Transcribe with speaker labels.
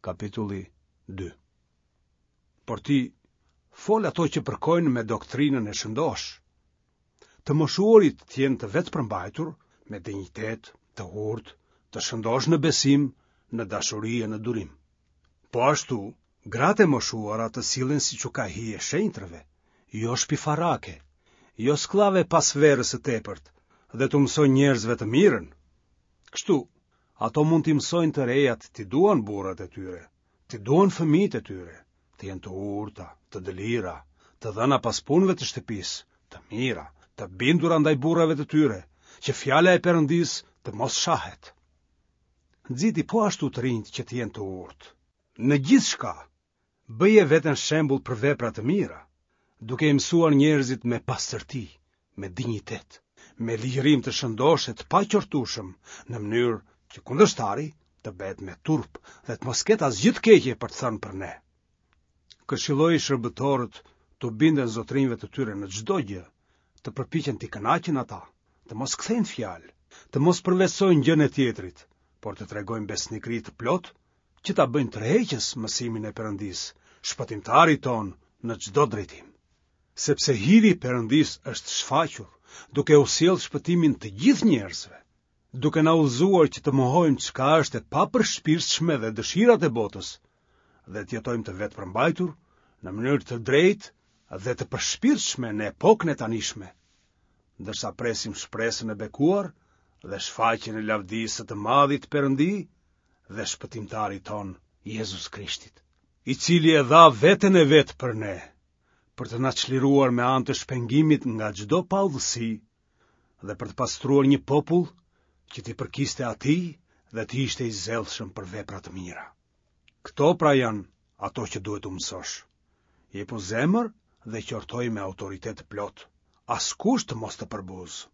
Speaker 1: Kapitulli 2. Por ti fol ato që përkojnë me doktrinën e shëndoshë. Të moshuarit të jenë të vetëpërmbajtur, me dinjitet, të urtë, të shëndoshë në besim, në dashuri e në durim. Po ashtu, gratë e moshuara të sillen siç u ka hije shenjtërve, jo shpifarake, jo skllave pas verës së tepërt dhe t'u mësojnë njerëzve të mirën. Kështu, ato mund t'i mësojnë të rejat t'i duan burrat e tyre, t'i duan fëmijët e tyre, të jenë të urta, të dëlira, të dhëna pas punëve të shtëpisë, të mira, të bindura ndaj burrave të tyre, që fjala e Perëndisë të mos shahet. Nxiti po ashtu të rinjtë që të jenë të urtë. Në gjithçka, bëje veten shembull për vepra të mira, duke i mësuar njerëzit me pastërti, me dinjitet, me ligjërim të shëndoshë e të paqortueshëm, në mënyrë që kundërshtari të bëhet me turp dhe të mos ketë asgjë të keqe për të thënë për ne. Këshilloji shërbëtorët t'u binden zotërinjve të tyre në çdo gjë, të përpiqen t'i kënaqin ata, të mos kthejnë fjalë, të mos përvetësojnë gjënë e tjetrit, por të tregojnë besnikëri të plotë që ta bëjnë tërheqës mësimin e Perëndisë, shpëtimtarit tonë në çdo drejtim. Sepse hiri i Perëndisë është shfaqur, duke u sjellë shpëtimin të gjithë njerëzve, duke na udhëzuar që të mohojmë çka është e papërshpirtshme dhe dëshirat e botës, dhe të jetojmë të vetëpërmbajtur në mënyrë të drejtë dhe të përshpirtshme në epokën e tanishme, ndërsa presim shpresën e bekuar dhe shfaqjen e lavdisë së të madhit Perëndi dhe shpëtimtarit tonë Jezus Krishtit, i cili e dha veten e vet për ne, për të na çliruar me anë të shpengimit nga çdo paudhësi dhe për të pastruar një popull që t'i përkiste atij dhe të ishte i zellshëm për vepra të mira. Këto pra janë ato që duhet t'u mësosh. Jepu zemër dhe qortoji me autoritet të plotë. Askush të mos të përbuzë.